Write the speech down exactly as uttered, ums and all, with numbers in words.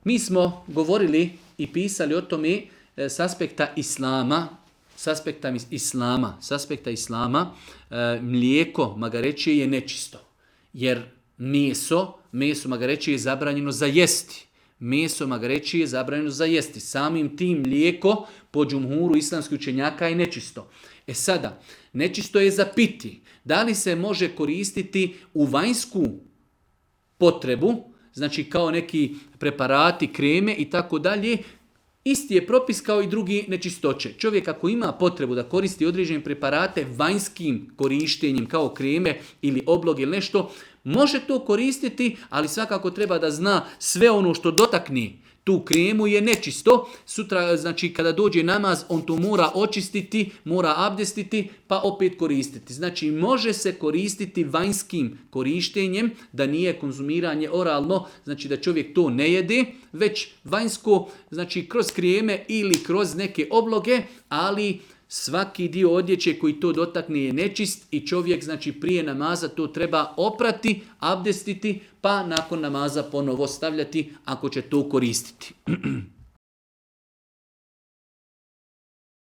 Mi smo govorili i pisali o tome e, s aspekta islama, s aspekta islama, s aspekta islama, e, mlijeko magarećije je nečisto. Jer meso, meso magarećije je zabranjeno za jesti. Meso magarećije je zabranjeno za jesti. Samim tim mlijeko po džumhuru islamskih učenjaka je nečisto. E sada, nečisto je za piti. Da li se može koristiti u vanjsku potrebu, znači kao neki preparati, kreme i tako dalje, isti je propis kao i drugi nečistoće. Čovjek ako ima potrebu da koristi određene preparate vanjskim korištenjem kao kreme ili obloge ili nešto, može to koristiti, ali svakako treba da zna sve ono što dotakne tu kremu je nečisto. Sutra, znači kada dođe namaz, on to mora očistiti, mora abdestiti, pa opet koristiti. Znači može se koristiti vanjskim korištenjem, da nije konzumiranje oralno, znači da čovjek to ne jede, već vanjsko, znači kroz kreme ili kroz neke obloge, ali svaki dio odjeće koji to dotakne je nečist i čovjek znači prije namaza to treba oprati, abdestiti, pa nakon namaza ponovo stavljati ako će to koristiti.